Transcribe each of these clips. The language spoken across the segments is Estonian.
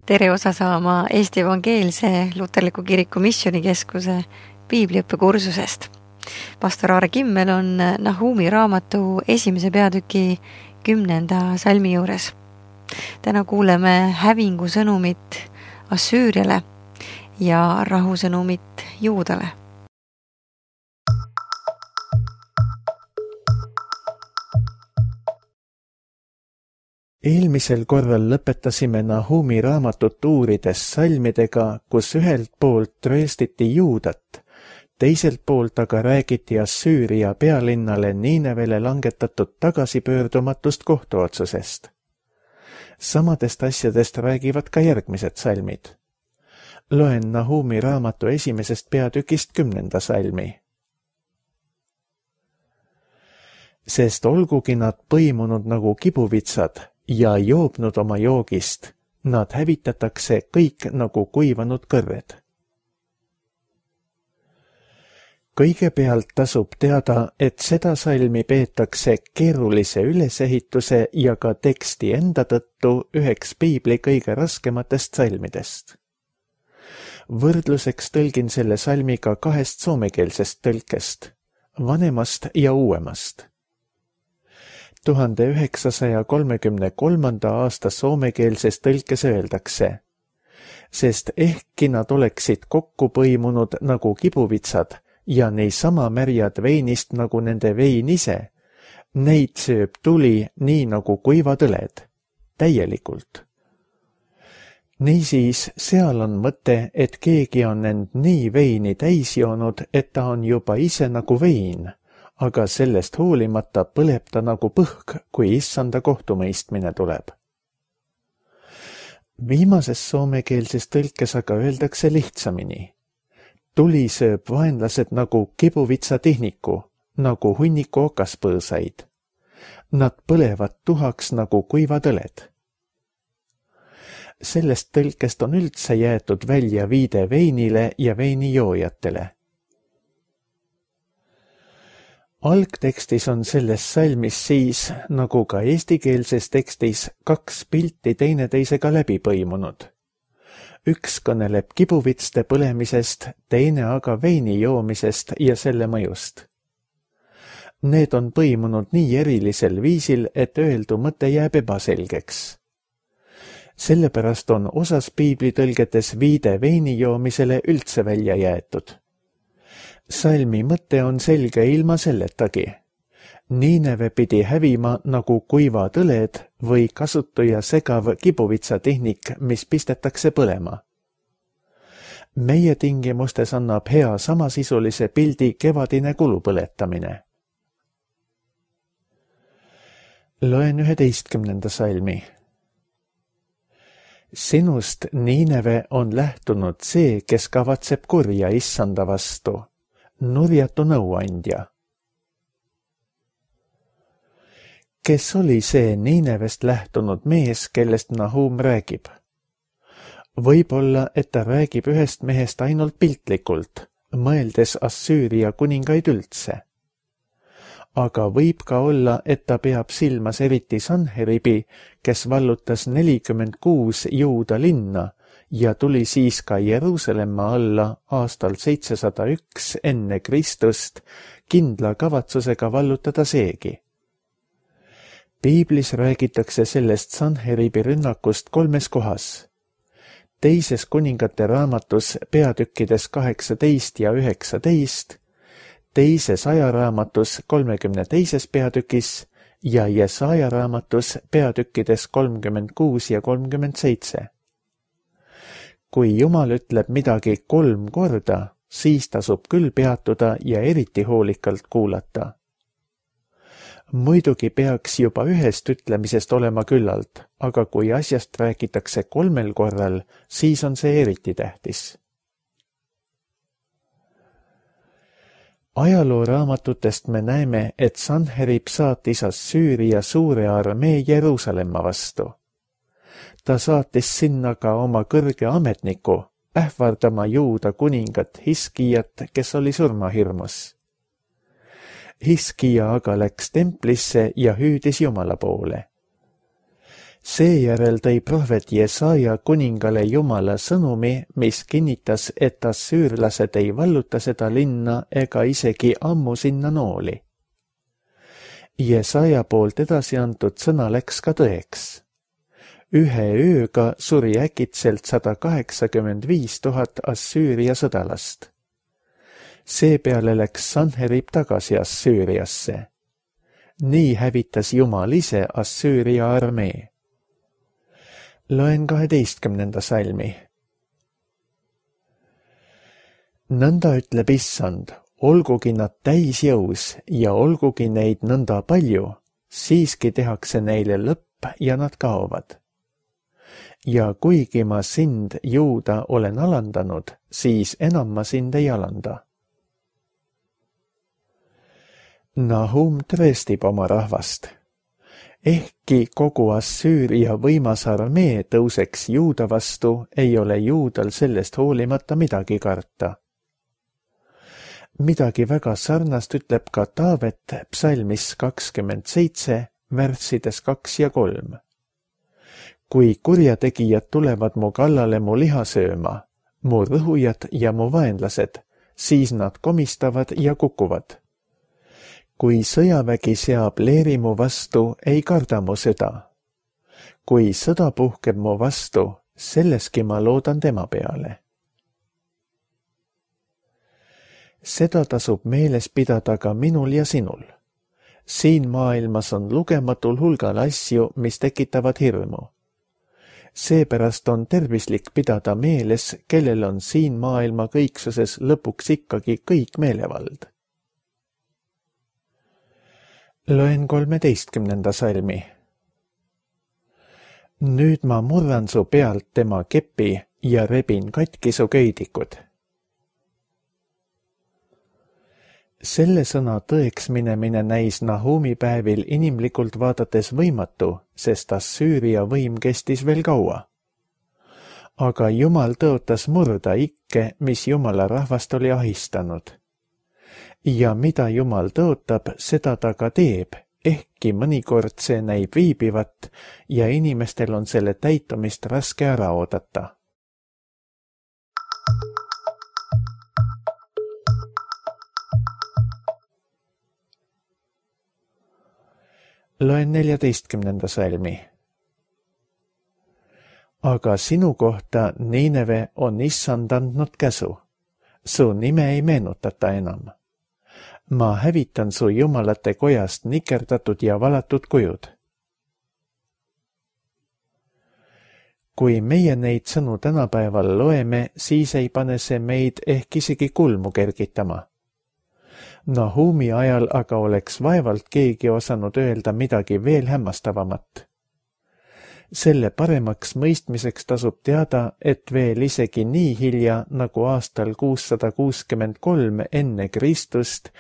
Tere osa saama Eesti Evangeelse Luterliku Kiriku Missioonikeskuse piibliõppekursusest. Pastor Aare Kimmel on Nahumi raamatu 1. peatüki 10. salmi juures. Täna kuuleme hävingu sõnumit Assüüriale ja rahusõnumit Juudale. Eelmisel korral lõpetasime Nahumi raamatut uurides salmidega, kus ühelt poolt trööstiti Juudat, teiselt poolt aga räägiti Assüüria pealinnale Niinevele langetatud tagasipöördumatust kohtuotsusest. Samadest asjadest räägivad ka järgmised salmid. Loen Nahumi raamatu 1. peatükist 10. salmi. Sest olgugi nad põimunud nagu kibuvitsad ja joobnud oma joogist, nad hävitatakse kõik nagu kuivanud kõrred. Kõigepealt tasub teada, et seda salmi peetakse keerulise ülesehituse ja ka teksti enda tõttu üheks piibli kõige raskematest salmidest. Võrdluseks tõlgin selle salmiga 2 soomekeelsest tõlkest, vanemast ja uuemast. 1933. aasta soomekeelses tõlkes öeldakse, sest ehkki nad oleksid kokku põimunud nagu kibuvitsad ja neisama märjad veinist nagu nende vein ise, neid sööb tuli nii nagu kuivad õled, täielikult. Niisiis, seal on mõte, et keegi on end nii veini täis joonud, et ta on juba ise nagu vein, aga sellest hoolimata põleb ta nagu põhk, kui issanda kohtumõistmine tuleb. Viimases soomekeelses tõlkes aga öeldakse lihtsamini. Tuli sööb vaenlased nagu kibuvitsa tihniku, nagu hunniku okaspõõsaid. Nad põlevad tuhaks nagu kuivad õled. Sellest tõlkest on üldse jäetud välja viide veinile ja veinijoojatele. Algtekstis on selles salmis siis, nagu ka eestikeelses tekstis, 2 pilti teineteisega läbi põimunud. Üks kõneleb kibuvitste põlemisest, teine aga veini joomisest ja selle mõjust. Need on põimunud nii erilisel viisil, et öeldu mõte jääb ebaselgeks. Sellepärast on osas piiblitõlgetes viide veini joomisele üldse välja jäetud. Salmi mõte on selge ilma selletagi. Niineve pidi hävima nagu kuivad õled või kasutu ja segav kibuvitsatehnik, mis pistetakse põlema. Meie tingimustes annab hea samasisulise pildi kevadine kulupõletamine. Loen 11. salmi. Sinust, Niineve, on lähtunud see, kes kavatseb kurja issanda vastu, nurjatu nõuandja. Kes oli see Niinevest lähtunud mees, kellest Nahum räägib? Võib-olla, et ta räägib ühest mehest ainult piltlikult, mõeldes Assüüria kuningaid üldse. Aga võib ka olla, et ta peab silmas eriti Sanheribi, kes vallutas 46 Juuda linna ja tuli siis ka Jeruusalemma alla aastal 701 enne Kristust kindla kavatsusega vallutada seegi. Piiblis räägitakse sellest Sanheribi rünnakust 3 kohas. 2. kuningate raamatus peatükkides 18 ja 19, 2. ajaraamatus 32. peatükis ja Jesaja raamatus peatükkides 36 ja 37. Kui Jumal ütleb midagi 3 korda, siis tasub küll peatuda ja eriti hoolikalt kuulata. Muidugi peaks juba ühest ütlemisest olema küllalt, aga kui asjast räägitakse 3 korral, siis on see eriti tähtis. Ajalooraamatutest me näeme, et Sanherib saatis Assüüria suure armee Jeruusalemma vastu. Ta saatis sinna ka oma kõrge ametniku, ähvardama Juuda kuningat Hiskijat, kes oli surmahirmus. Hiskija aga läks templisse ja hüüdis Jumala poole. Seejärel tõi prohvet Jesaja kuningale Jumala sõnumi, mis kinnitas, et assüürlased ei valluta seda linna ega isegi ammu sinna nooli. Jesaja poolt edasi antud sõna läks ka tõeks. Ühe ööga suri äkitselt 185 000 Assüüria sõdalast. Seepeale läks Sanherib tagasi Assüüriasse. Nii hävitas Jumal ise Assüüria armee. Loen 12. salmi. Nõnda ütleb Issand, olgugi nad täisjõus ja olgugi neid nõnda palju, siiski tehakse neile lõpp ja nad kaovad. Ja kuigi ma sind, Juuda, olen alandanud, siis enam ma sind ei alanda. Nahum tõestib oma rahvast. Ehkki kogu Assüüria võimas armee tõuseks Juuda vastu, ei ole Juudal sellest hoolimata midagi karta. Midagi väga sarnast ütleb ka Taavet psalmis 27, värssides 2 ja 3. Kui kurjategijad tulevad mu kallale mu liha sööma, mu rõhujad ja mu vaenlased, siis nad komistavad ja kukuvad. Kui sõjavägi seab leeri mu vastu, ei karda mu süda. Kui sõda puhkeb mu vastu, selleski ma loodan tema peale. Seda tasub meeles pidada ka minul ja sinul. Siin maailmas on lugematul hulgal asju, mis tekitavad hirmu. Seepärast on tervislik pidada meeles, kellel on siin maailma kõiksuses lõpuks ikkagi kõik meelevald. Loen 13. salmi. Nüüd ma murran su pealt tema kepi ja rebin katki su köidikud. Selle sõna tõeks minemine näis Nahumi päevil inimlikult vaadates võimatu, sest Assüüria võim kestis veel kaua. Aga Jumal tõotas murda ikke, mis Jumala rahvast oli ahistanud. Ja mida Jumal tõotab, seda ta ka teeb, ehkki mõnikord see näib viibivat ja inimestel on selle täitumist raske ära oodata. Loen 14. salmi. Aga sinu kohta, Niineve, on Issand andnud käsu. Su nime ei meenutata enam. Ma hävitan su jumalate kojast nikerdatud ja valatud kujud. Kui meie neid sõnu tänapäeval loeme, siis ei pane see meid ehk isegi kulmu kergitama. Nahumi ajal aga oleks vaevalt keegi osanud öelda midagi veel hämmastavamat. Selle paremaks mõistmiseks tasub teada, et veel isegi nii hilja nagu aastal 663 enne Kristust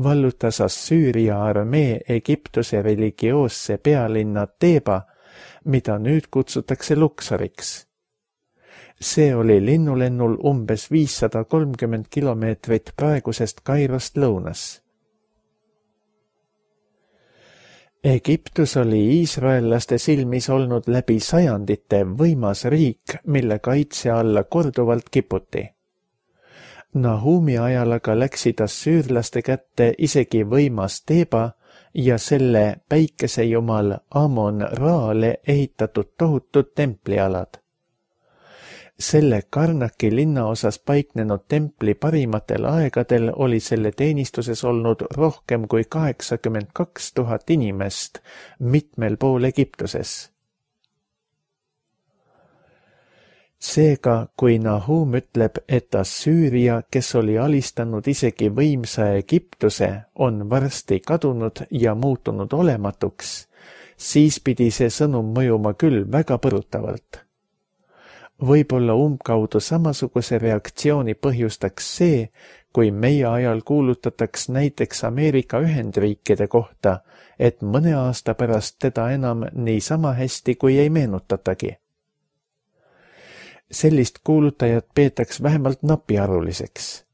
vallutas Assüüria armee Egiptuse religioosse pealinna Teba, mida nüüd kutsutakse Luksoriks. See oli linnulennul umbes 530 kilomeetrit praegusest Kairost lõunas. Egiptus oli iisraellaste silmis olnud läbi sajandite võimas riik, mille kaitse alla korduvalt kiputi. Nahumi ajal aga läksid assüürlaste kätte isegi võimas Teba ja selle päikesejumal Amon-Raale ehitatud tohutud templialad. Selle Karnaki linnaosas paiknenud templi parimatel aegadel oli selle teenistuses olnud rohkem kui 82 000 inimest mitmel pool Egiptuses. Seega, kui Nahum ütleb, et Assüüria, kes oli alistanud isegi võimsa Egiptuse, on varsti kadunud ja muutunud olematuks, siis pidi see sõnum mõjuma küll väga põrutavalt. Võib-olla umbkaudu samasuguse reaktsiooni põhjustaks see, kui meie ajal kuulutataks näiteks Ameerika Ühendriikide kohta, et mõne aasta pärast teda enam niisama hästi kui ei meenutatagi. Sellist kuulutajat peetaks vähemalt napiaruliseks.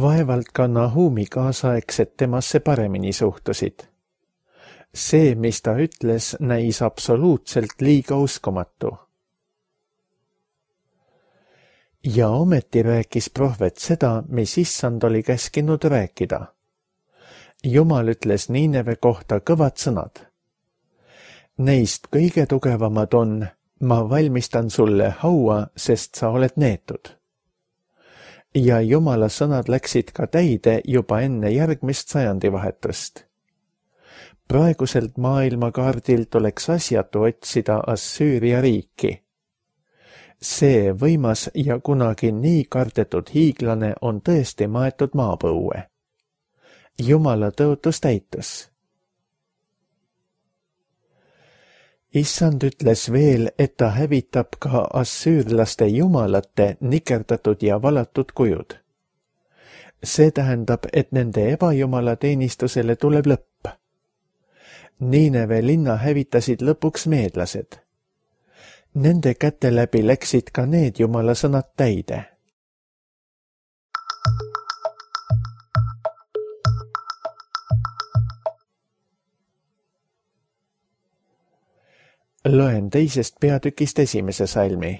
Vaevalt ka Nahumi kaasaegsed temasse paremini suhtusid. See, mis ta ütles, näis absoluutselt liiga uskumatu. Ja ometi rääkis prohvet seda, mis issand oli käskinud rääkida. Jumal ütles Niineve kohta kõvad sõnad. Neist kõige tugevamad on: ma valmistan sulle haua, sest sa oled neetud. Ja Jumala sõnad läksid ka täide juba enne järgmist sajandivahetust. Praeguselt maailmakaardilt oleks asjatu otsida Assüüria riiki. See võimas ja kunagi nii kardetud hiiglane on tõesti maetud maapõue. Jumala tõotus täitus. Issand ütles veel, et ta hävitab ka assüürlaste jumalate nikerdatud ja valatud kujud. See tähendab, et nende ebajumala teenistusele tuleb lõpp. Niineve linna hävitasid lõpuks meedlased. Nende käte läbi läksid ka need jumala sõnad täide. Loen teisest peatükist 1. salmi.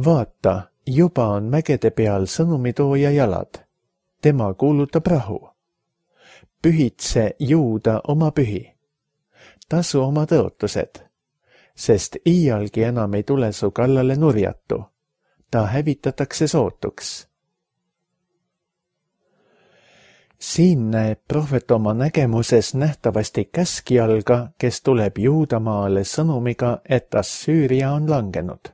Vaata, juba on mägede peal sõnumitooja jalad. Tema kuulutab rahu. Pühitse Juuda oma pühi. Tasu oma tõotused, sest iialgi enam ei tule su kallale nurjatu. Ta hävitatakse sootuks. Siin näeb prohvet oma nägemuses nähtavasti käskjalga, kes tuleb Juudamaale sõnumiga, et Assüüria on langenud.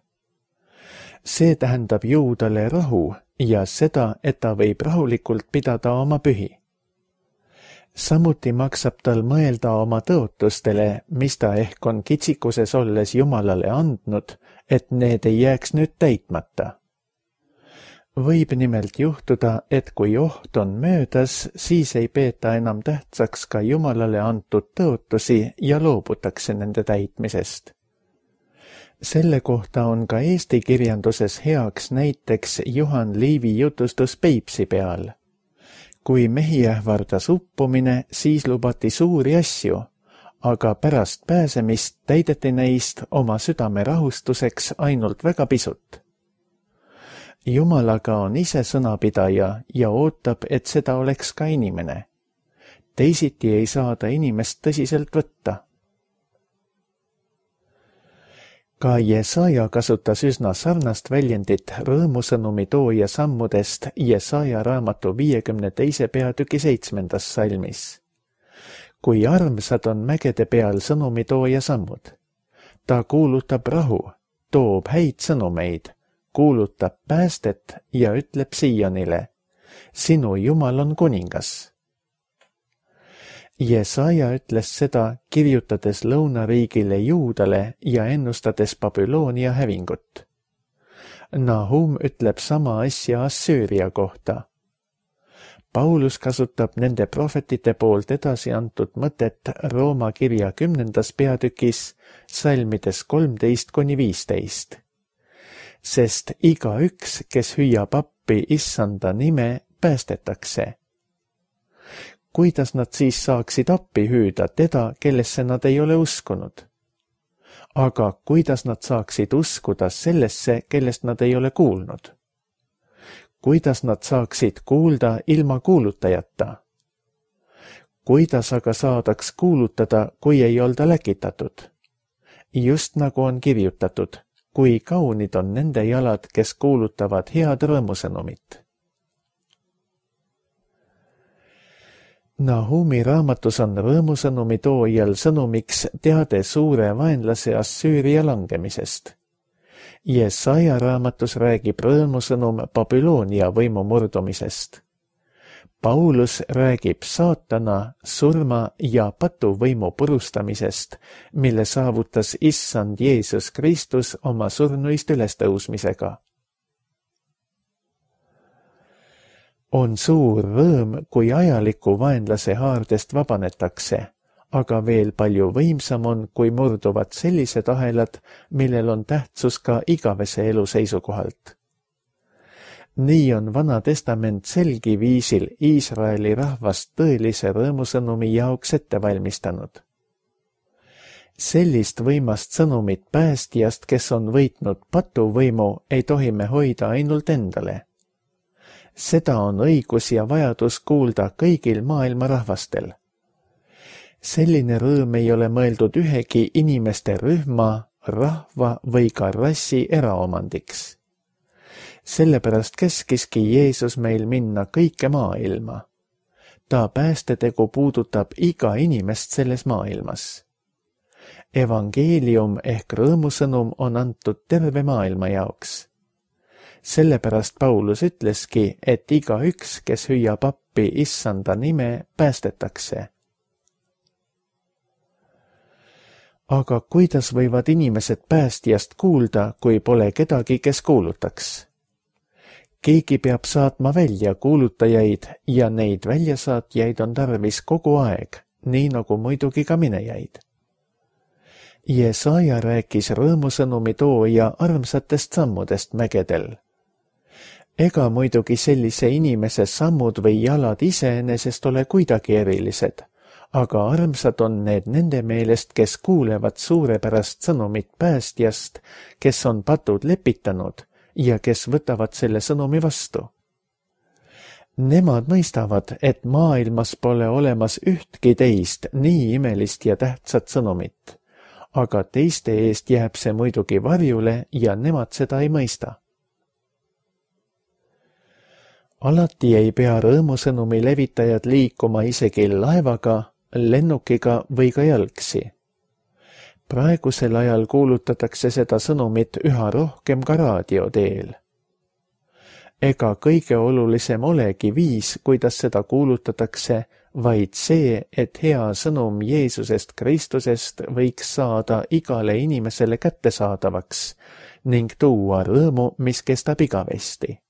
See tähendab Juudale rahu ja seda, et ta võib rahulikult pidada oma pühi. Samuti maksab tal mõelda oma tõotustele, mis ta ehk on kitsikuses olles Jumalale andnud, et need ei jääks nüüd täitmata. Võib nimelt juhtuda, et kui oht on möödas, siis ei peeta enam tähtsaks ka Jumalale antud tõotusi ja loobutakse nende täitmisest. Selle kohta on ka eesti kirjanduses heaks näiteks Juhan Liivi jutustus Peipsi peal. Kui mehi ähvardas uppumine, siis lubati suuri asju, aga pärast pääsemist täideti neist oma südame rahustuseks ainult väga pisut. Jumalaga on ise sõnapidaja ja ootab, et seda oleks ka inimene. Teisiti ei saada inimest tõsiselt võtta. Ka Jesaja kasutas üsna sarnast väljendit rõõmusõnumi tooja sammudest Jesaja raamatu 52. peatüki 7. salmis. Kui armsad on mägede peal sõnumi tooja sammud. Ta kuulutab rahu, toob häid sõnumeid, kuulutab päästet ja ütleb Siionile: sinu Jumal on kuningas. Jesaja ütles seda, kirjutades lõunariigile Juudale ja ennustades Babyloonia hävingut. Nahum ütleb sama asja Assüüria kohta. Paulus kasutab nende prohvetite poolt edasi antud mõtet Rooma kirja 10. peatükis salmides 13-15. Sest igaüks, kes hüüab appi issanda nime, päästetakse. Kuidas nad siis saaksid appi hüüda teda, kellesse nad ei ole uskunud? Aga kuidas nad saaksid uskuda sellesse, kellest nad ei ole kuulnud? Kuidas nad saaksid kuulda ilma kuulutajata? Kuidas aga saadaks kuulutada, kui ei olda läkitatud? Just nagu on kirjutatud, kui kaunid on nende jalad, kes kuulutavad head rõõmusõnumit. Nahumi raamatus on rõõmusõnumi toojal sõnumiks teade suure vaenlase Assüüria langemisest. Jesaja raamatus räägib rõõmusõnum Babyloonia võimu murdumisest. Paulus räägib saatana, surma ja patuvõimu purustamisest, mille saavutas issand Jeesus Kristus oma surnuist ülestõusmisega. On suur rõõm, kui ajaliku vaenlase haardest vabanetakse, aga veel palju võimsam on, kui murduvad sellised ahelad, millel on tähtsus ka igavese elu seisukohalt. Nii on Vana Testament selgi viisil Iisraeli rahvast tõelise rõõmusõnumi jaoks ette valmistanud. Sellist võimast sõnumit päästjast, kes on võitnud patuvõimu, ei tohi me hoida ainult endale. Seda on õigus ja vajadus kuulda kõigil maailma rahvastel. Selline rõõm ei ole mõeldud ühegi inimeste rühma, rahva või ka rassi eraomandiks. Sellepärast käskiski Jeesus meil minna kõike maailma. Ta päästetegu puudutab iga inimest selles maailmas. Evangeelium ehk rõõmusõnum on antud terve maailma jaoks. Sellepärast Paulus ütleski, et igaüks, kes hüüab appi Issanda nime, päästetakse. Aga kuidas võivad inimesed päästjast kuulda, kui pole kedagi, kes kuulutaks? Keegi peab saatma välja kuulutajaid ja neid väljasaatjaid on tarvis kogu aeg, nii nagu muidugi ka minejaid. Jesaja rääkis rõõmusõnumi tooja armsatest sammudest mägedel. Ega muidugi sellise inimese sammud või jalad iseenesest ole kuidagi erilised, aga armsad on need nende meelest, kes kuulevad suurepärast sõnumit päästjast, kes on patud lepitanud ja kes võtavad selle sõnumi vastu. Nemad mõistavad, et maailmas pole olemas ühtki teist nii imelist ja tähtsat sõnumit, aga teiste eest jääb see muidugi varjule ja nemad seda ei mõista. Alati ei pea rõõmusõnumi levitajad liikuma isegi laevaga, lennukiga või ka jalgsi. Praegusel ajal kuulutatakse seda sõnumit üha rohkem ka raadio teel. Ega kõige olulisem olegi viis, kuidas seda kuulutatakse, vaid see, et hea sõnum Jeesusest Kristusest võiks saada igale inimesele kättesaadavaks ning tuua rõõmu, mis kestab igavesti.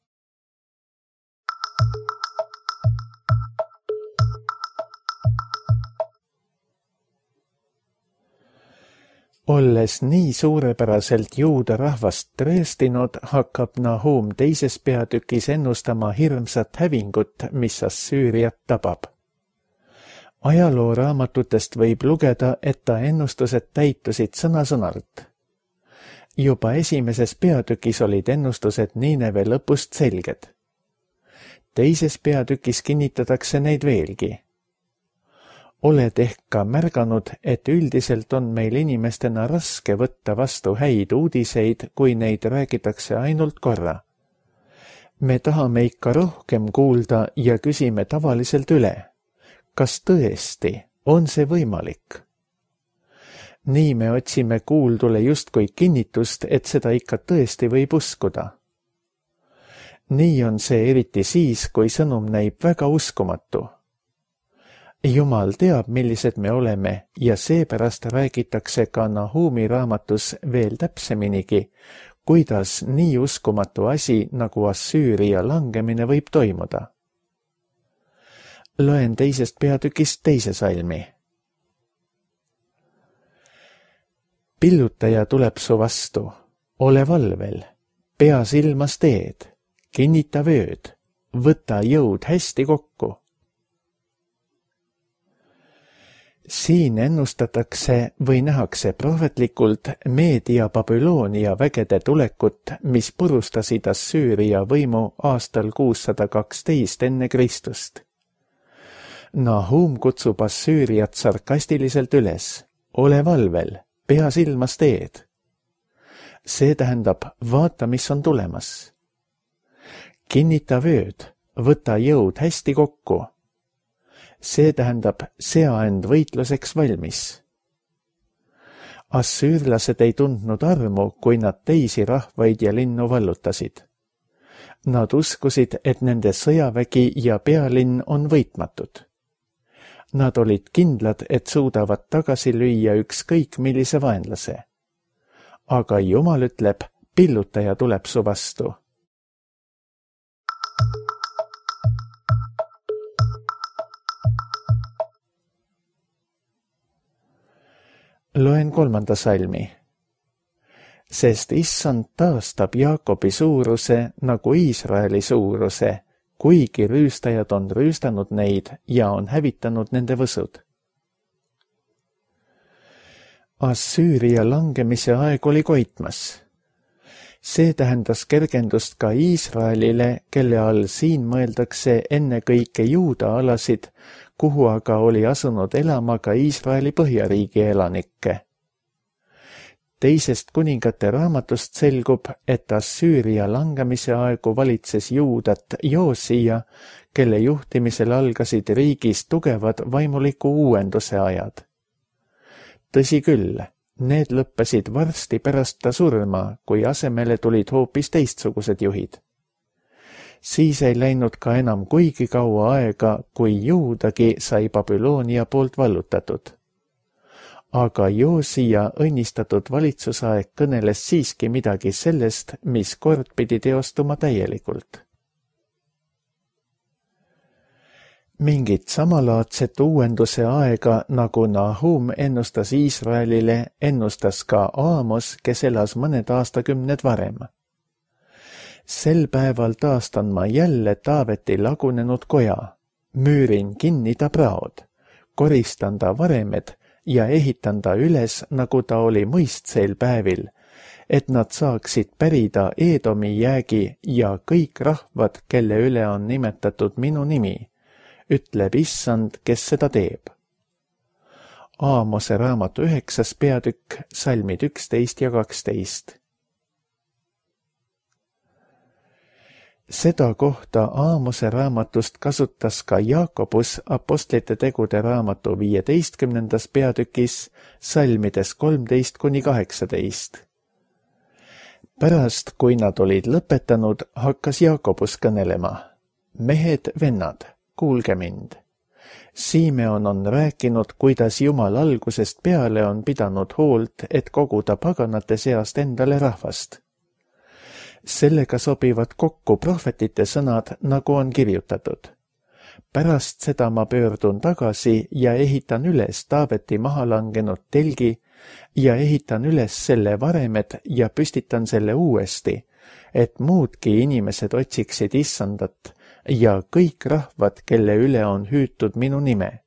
Olles nii suurepäraselt juuda rahvast trööstinud, hakkab Nahum 2. peatükis ennustama hirmsat hävingut, mis Assüüriat tabab. Ajalooraamatutest võib lugeda, et ta ennustused täitusid sõna-sõnalt. Juba 1. peatükis olid ennustused Niineve lõpust selged. 2. peatükis kinnitatakse neid veelgi. Oled ehk ka märganud, et üldiselt on meil inimestena raske võtta vastu häid uudiseid, kui neid räägitakse ainult korra. Me tahame ikka rohkem kuulda ja küsime tavaliselt üle. Kas tõesti on see võimalik? Nii me otsime kuuldule justkui kinnitust, et seda ikka tõesti võib uskuda. Nii on see eriti siis, kui sõnum näib väga uskumatu. Jumal teab, millised me oleme ja seepärast räägitakse ka Nahumi raamatus veel täpseminigi, kuidas nii uskumatu asi nagu Assüüria langemine võib toimuda. Loen 2. peatükist 2. salmi. Pillutaja tuleb su vastu, ole valvel, pea silmas teed, kinnita vööd, võta jõud hästi kokku. Siin ennustatakse või nähakse prohvetlikult Meedia Babyloonia vägede tulekut, mis purustasid Assüüria võimu aastal 612 enne Kristust. Nahum kutsub Assüüriat sarkastiliselt üles, ole valvel, pea silmas teed. See tähendab, vaata, mis on tulemas. Kinnita vööd, võta jõud hästi kokku. See tähendab, sea end võitluseks valmis. Assüürlased ei tundnud armu, kui nad teisi rahvaid ja linnu vallutasid. Nad uskusid, et nende sõjavägi ja pealinn on võitmatud. Nad olid kindlad, et suudavad tagasi lüüa ükskõik millise vaenlase. Aga Jumal ütleb, pillutaja tuleb su vastu. Loen 3. salmi. sest issand taastab Jaakobi suuruse nagu Iisraeli suuruse, kuigi rüüstajad on rüüstanud neid ja on hävitanud nende võsud. Assüüria langemise aeg oli koitmas. See tähendas kergendust ka Iisraelile, kelle all siin mõeldakse ennekõike Juuda alasid, kuhu aga oli asunud elama ka Iisraeli põhjariigi elanikke. Teisest kuningate raamatust selgub, et Assüüria langemise aegu valitses Juudat Joosija, kelle juhtimisel algasid riigis tugevad vaimuliku uuenduse ajad. Tõsi küll, need lõppesid varsti pärast ta surma, kui asemele tulid hoopis teistsugused juhid. Siis ei läinud ka enam kuigi kaua aega, kui Juudagi sai Babyloonia poolt vallutatud. Aga Joosija õnnistatud valitsusaeg kõneles siiski midagi sellest, mis kord pidi teostuma täielikult. Mingit samalaadset uuenduse aega, nagu Nahum ennustas Iisraelile, ennustas ka Aamos, kes elas mõned aastakümned varem. Sel päeval taastan ma jälle Taaveti lagunenud koja, müürin kinni ta praod, koristan ta varemed ja ehitan ta üles, nagu ta oli mõistsel päevil, et nad saaksid pärida Eedomi jäägi ja kõik rahvad, kelle üle on nimetatud minu nimi, ütleb issand, kes seda teeb. Aamose raamatu 9. peatükk, salmid 11 ja 12. Seda kohta Aamose raamatust kasutas ka Jaakobus apostlite tegude raamatu 15. peatükis, salmides 13–18. Pärast, kui nad olid lõpetanud, hakkas Jaakobus kõnelema. Mehed, vennad, kuulge mind. Simeon on rääkinud, kuidas Jumal algusest peale on pidanud hoolt, et koguda paganate seast endale rahvast. Sellega sobivad kokku prohvetite sõnad, nagu on kirjutatud. Pärast seda ma pöördun tagasi ja ehitan üles Taaveti maha langenud telgi ja ehitan üles selle varemed ja püstitan selle uuesti, et muudki inimesed otsiksid issandat ja kõik rahvad, kelle üle on hüütud minu nime.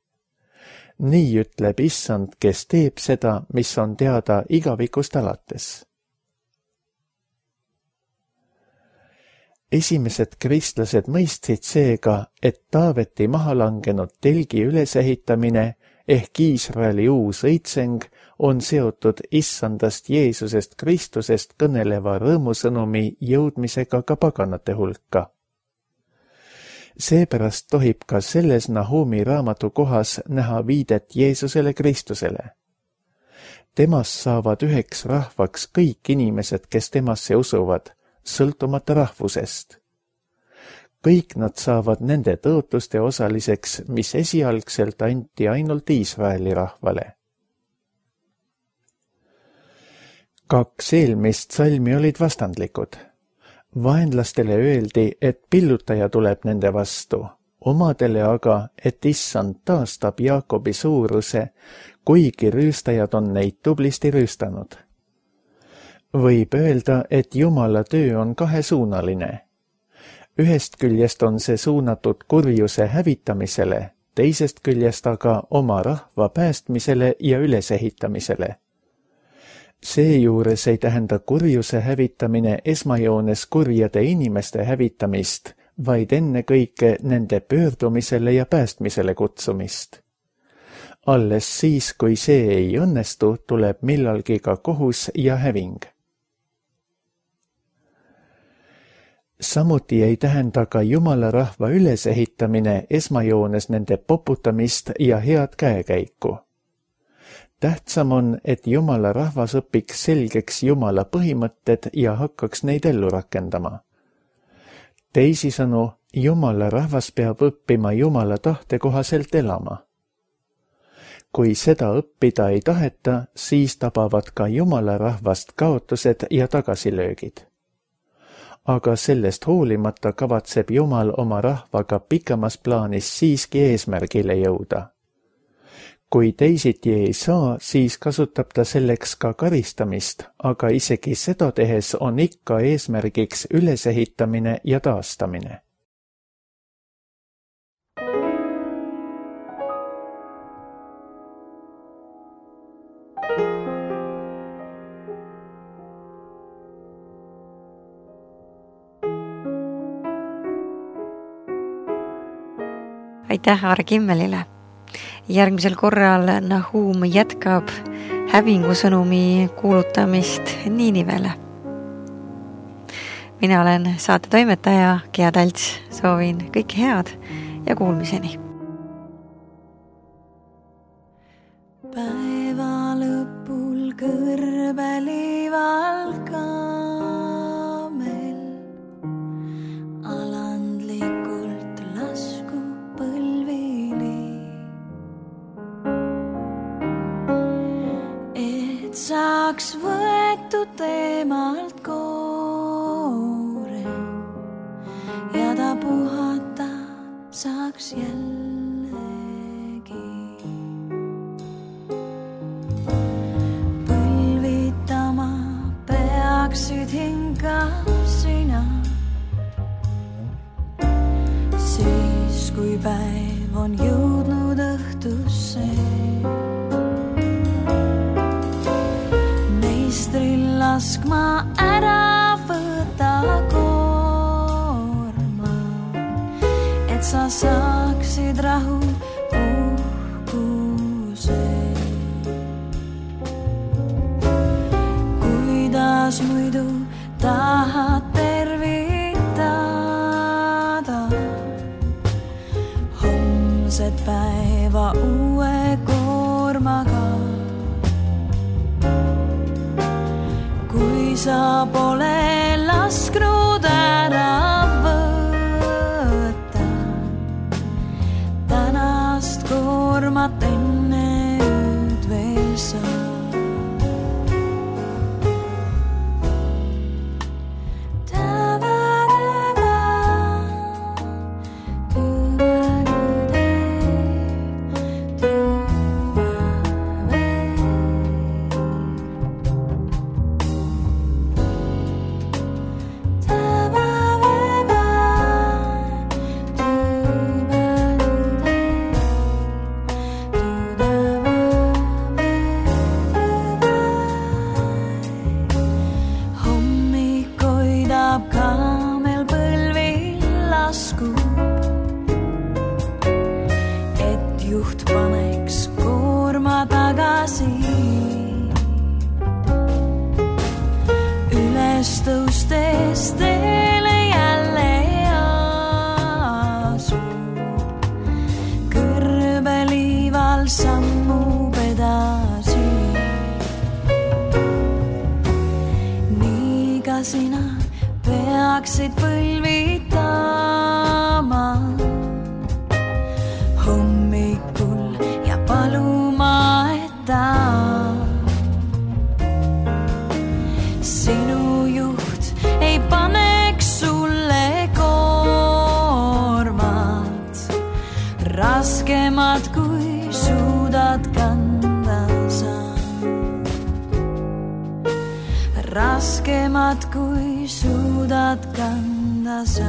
Nii ütleb issand, kes teeb seda, mis on teada igavikust alates. Esimesed kristlased mõistsid seega, et Taaveti maha langenud telgi ülesehitamine ehk Iisraeli uus õitseng on seotud issandast Jeesusest Kristusest kõneleva rõõmusõnumi jõudmisega ka paganate hulka. Seepärast tohib ka selles Nahumi raamatu kohas näha viidet Jeesusele Kristusele. Temast saavad üheks rahvaks kõik inimesed, kes temasse usuvad, sõltumata rahvusest. Kõik nad saavad nende tõotluste osaliseks, mis esialgselt anti ainult Iisraeli rahvale. 2 eelmist salmi olid vastandlikud. Vaenlastele öeldi, et pillutaja tuleb nende vastu, omadele aga, et issand taastab Jaakobi suuruse, kuigi rüüstajad on neid tublisti rüüstanud. Võib öelda, et Jumala töö on kahesuunaline. Ühest küljest on see suunatud kurjuse hävitamisele, teisest küljest aga oma rahva päästmisele ja ülesehitamisele. Seejuures ei tähenda kurjuse hävitamine esmajoones kurjade inimeste hävitamist, vaid ennekõike nende pöördumisele ja päästmisele kutsumist. Alles siis, kui see ei õnnestu, tuleb millalgi ka kohus ja häving. Samuti ei tähenda ka Jumala rahva ülesehitamine esmajoones nende poputamist ja head käekäiku. Tähtsam on, et Jumala rahvas õpiks selgeks Jumala põhimõtted ja hakkaks neid ellu rakendama. Teisisõnu, Jumala rahvas peab õppima Jumala tahte kohaselt elama. Kui seda õppida ei taheta, siis tabavad ka Jumala rahvast kaotused ja tagasilöögid. Aga sellest hoolimata kavatseb Jumal oma rahvaga pikemas plaanis siiski eesmärgile jõuda. Kui teisiti ei saa, siis kasutab ta selleks ka karistamist, aga isegi seda tehes on ikka eesmärgiks ülesehitamine ja taastamine. Aitäh Aare Kimmelile! Järgmisel korral Nahum jätkab hävingusõnumi kuulutamist Niinivele. Mina olen saate toimetaja Gea Talts, soovin kõike head ja kuulmiseni. Päeva lõpul kõrbelival kaamel alandlikult lasku põlvili, et saaks võetud teemalt koore ja ta puhata saaks jällegi. Põlvitama peaksid hinga sina, siis kui päev on jõudnud õhtusse. Meistril laskma ära võta koorma, et sa saaksid rahu uhkuse. Kuidas muidu tahad tervitada homset päeva uue koormaga, kui sa pole lasknud ära võtta tänast koormat enne ööd veel sa. Kaamel põlvil laskub, et juht paneks koorma tagasi. Üles tõustes teele jälle asub, kõrbeliival sammub edasi. Nii ka sina peaksid põlvitama hommikul ja paluma, et ta sinu juht ei paneks sulle koormat raskemat, kui suudad kanda sa. Raskemat, kui suudad kanda sa.